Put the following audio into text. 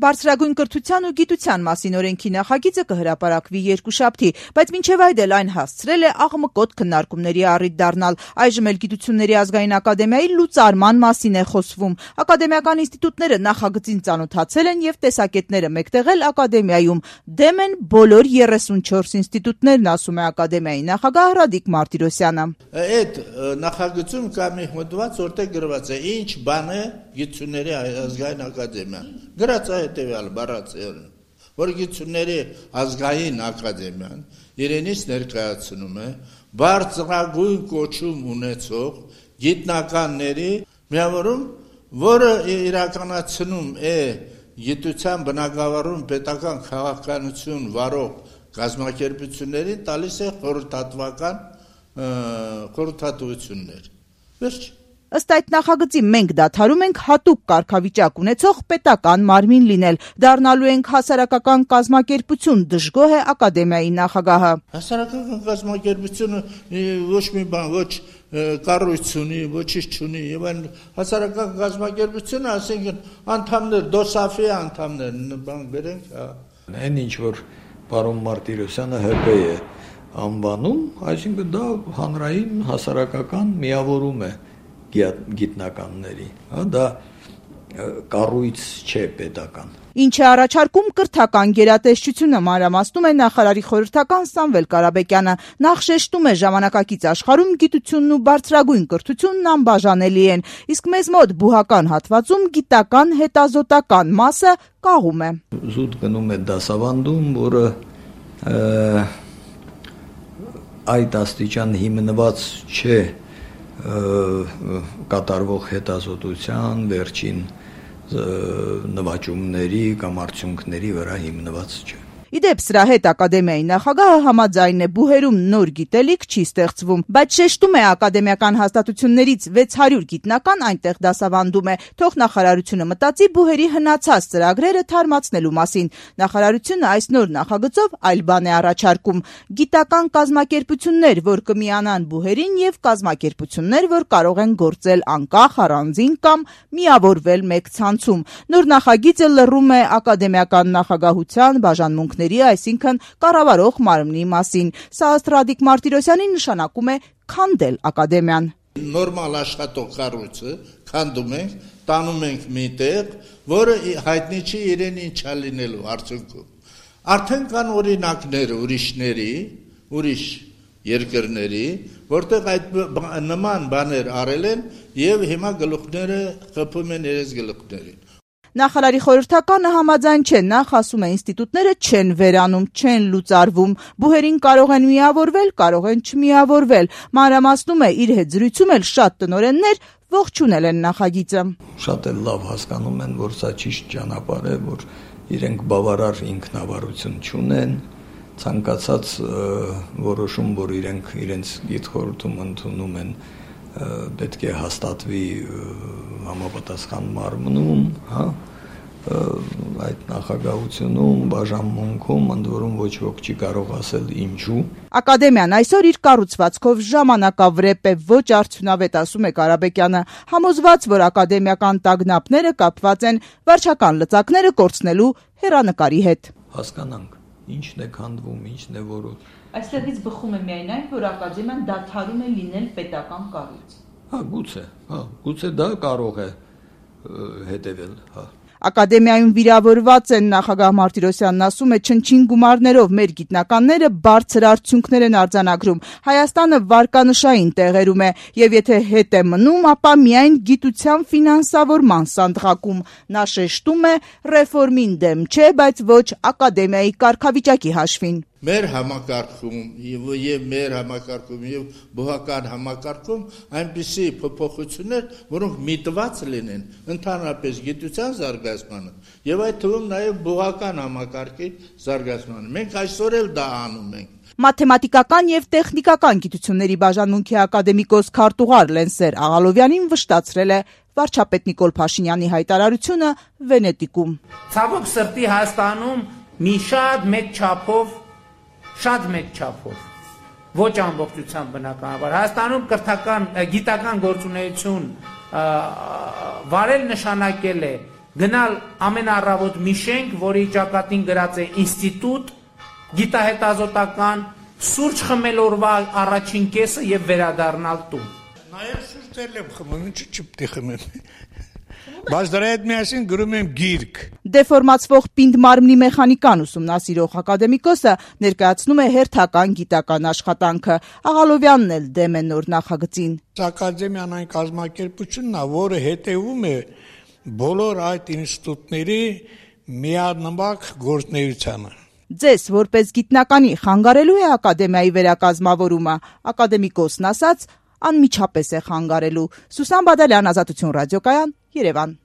Բարձրագույն կրթության ու գիտության մասին օրենքի նախագիծը կհրապարակվի երկուշաբթի, բայց մինչև այդ էլ այն հասցրել է աղմկոտ քննարկումների առիթ դառնալ։ Այժմ էլ Գիտությունների ազգային ակադեմիայի լուծարման մասին է խոսվում։ Ակադեմիական ինստիտուտները նախագծին ծանոթացել են եւ տեսակետները մեկտեղել ակադեմիայում։ Դեմ են բոլոր 34 ինստիտուտներն, ասում է ակադեմիայի նախագահ Ռադիկ Մարտիրոսյանը։ Այդ նախագծում կա մի հոդված, որտեղ գրված է ինչ բան է Գիտությունների ազգային ակադեմիան։ Գրած է հետևյալ բառացիորեն, որ Գիտությունների ազգային ակադեմիան իրենից ներկայացնում է բարձրագույն կոչում ունեցող գիտնականների միավորում, որը իրականացնում է գիտության բնագավառում պետական քաղաքականություն վարող կազմակերպություններին տալիս է խորհրդատվություններ։ Վերջ։ Ըստ այդ նախագծի մենք դադարում ենք հատուկ կարգավիճակ ունեցող պետական մարմին լինել, դառնալու ենք հասարակական կազմակերպություն, դժգոհ է ակադեմիայի նախագահը։ Հասարակական կազմակերպությունը ոչ մի բան, ոչ կառույց ունի, ոչինչ չունի, եւ այն հասարակական կազմակերպությունը, ասենք անդամներ, դոսաֆի անդամներ, բան գրենք, այն ինչ որ պարոն Մարտիրոսյանը ՀՊ է անվանում, այսինքն դա հանրային հասարակական միավորում է գիտնականների, դա կառույց չէ պետական։ Ինչ է առաջարկում կրթական գերատեսչությունը, մանրամասնում է նախարարի խորհրդական Սամվել Կարապետյանը։ Նախ շեշտում է ժամանակակից աշխարհում գիտությունն ու բարձրագույն կրթությունն անբաժանելի են, իսկ մեզ մոտ բուհական հատվածում գիտական հետազոտական մասը կաղում է։ Զուտ գնում է դասավանդում, որը այդ աստիճան հիմնված չէ կատարվող հետազոտության վերջին նվաճումների կամ արդյունքների վրա հիմնված չէ։ Իդեպ սրա հետ ակադեմիայի նախագահը համաձայն է, բուհերում նոր գիտելիք չի ստեղծվում, բայց շեշտում է ակադեմիական հաստատություններից 600 գիտնական այնտեղ դասավանդում է, թող նախարարությունը մտածի բուհերի հնացած ծրագրերը թարմացնելու մասին։ Նախարարությունը այս նոր նախագծով այլ բան է առաջարկում՝ գիտական կազմակերպություններ, որ կմիանան բուհերին եւ կազմակերպություններ, որ կարող են գործել անկախ, առանձին կամ միավորվել մեկ ցանցում։ Նոր նախագիծը լռում է ակադեմիական նախագահության բաժանմունքների, այսինքն կառավարող մարմնի մասին։ Սա ըստ Ռադիկ Մարտիրոսյանի նշանակում է քանդել ակադեմիան։ Նորմալ աշխատող կառույցը քանդում ենք, տանում ենք մի տեղ, որը հայտնի չի իրեն ինչա լինելու արդյունքում։ Արդեն կան օրինակներ ուրիշ երկրների, որտեղ այդ նման բաներ արել են եւ հիմա գլուխները խփում են իրենց գլուխներին։ Նախարարի խորհրդականը համաձայն չէ, նախ ասում է ինստիտուտները չեն վերանում, չեն լուծարվում, բուհերին կարող են միավորվել, կարող են չմիավորվել։ Մանրամասնում է, իր հետ զրույցում էլ շատ տնօրեններ ողջունել են նախագիծը։ Շատ էլ լավ հասկանում են, որ սա ճիշտ ճանապարհ է, որ իրենք բավարար ինքնավարություն չունեն, ցանկացած որոշում, որ իրենք իրենց գիտխորհրդում ընդունում են, պետք է հաստատվի համապատասխան մարմնում, այդ նախագահությունում, բաժանմունքում, ընդ որում ոչ ոք չի կարող ասել ինչու։ Ակադեմիան այսօր իր կառուցվածքով ժամանակավրեպ է, ոչ արդյունավետ, ասում է Կարապետյանը, համոզված, որ ակադեմիական տագնապները կապված են վարչական լծակները կորցնելու հեռանկարի հետ։ Հասկանանք, ինչն է քանդվում, ինչն է որոտ։ Այստեղից բխում է միայն այն, որ ակադեմիան դադարում է լինել պետական կառույց։ Գուցե դա կարող է հետևել, Ակադեմիայում վիրավորված են, նախագահ Մարտիրոսյանն ասում է, չնչին գումարներով մեր գիտնականները բարձր արդյունքներ են արձանագրում։ Հայաստանը վարկանշային տեղերում է, եւ եթե հետ է մնում, ապա միայն գիտության ֆինանսավորման սանդղակում։ Նա շեշտում է, ռեֆորմին դեմ չէ, բայց ոչ ակադեմիայի կարգավիճակի հաշվին։ Մեր համակարգում եւ բուհական համակարգում այնպիսի փոփոխություններ, որոնք միտված լինեն ընդհանրապես գիտության զարգացմանը եւ այդ թվում նաեւ բուհական համակարգի զարգացմանը։ Մենք այսօր էլ դա անում ենք։ Մաթեմատիկական եւ տեխնիկական գիտությունների բաժանմունքի ակադեմիկոս քարտուղար Լենսեր Աղալովյանին վշտացրել է վարչապետ Նիկոլ Փաշինյանի հայտարարությունը Վենետիկում։ Ցավոք սրտի Հայաստանում մի շատ մեծ չափով ոչ ամբողջությամբ բնականաբար Հայաստանում կրթական գիտական գործունեություն վարել նշանակել է գնալ ամենառավոտ մի շենք, որի ճակատին գրած է ինստիտուտ, գիտահետազոտական, սուրճ խմել օրվա առաջին կեսը եւ վերադառնալ տուն։ Նաեւ սուրճ եմ խմում, ինչի՞ չպետք է խմեմ։ Բայց դրա հետ միասին գրում եմ գիրք։ Դեֆորմացվող պինդ մարմնի մեխանիկան ուսումնասիրող ակադեմիկոսը ներկայացնում է հերթական գիտական աշխատանքը։ Աղալովյանն էլ դեմ է նոր նախագծին։ Ակադեմիան այն կազմակերպությունն է, որը հետևում է բոլոր այդ ինստիտուտների միանմակ գործունեությանը։ Ձեզ որպես գիտնականի խանգարելու է ակադեմիայի վերակազմավորումը, ակադեմիկոսն ասաց, անմիջապես է խանգարելու։ Սուսան Բադալյան, Ազատություն ռադիոկայան, Երևան։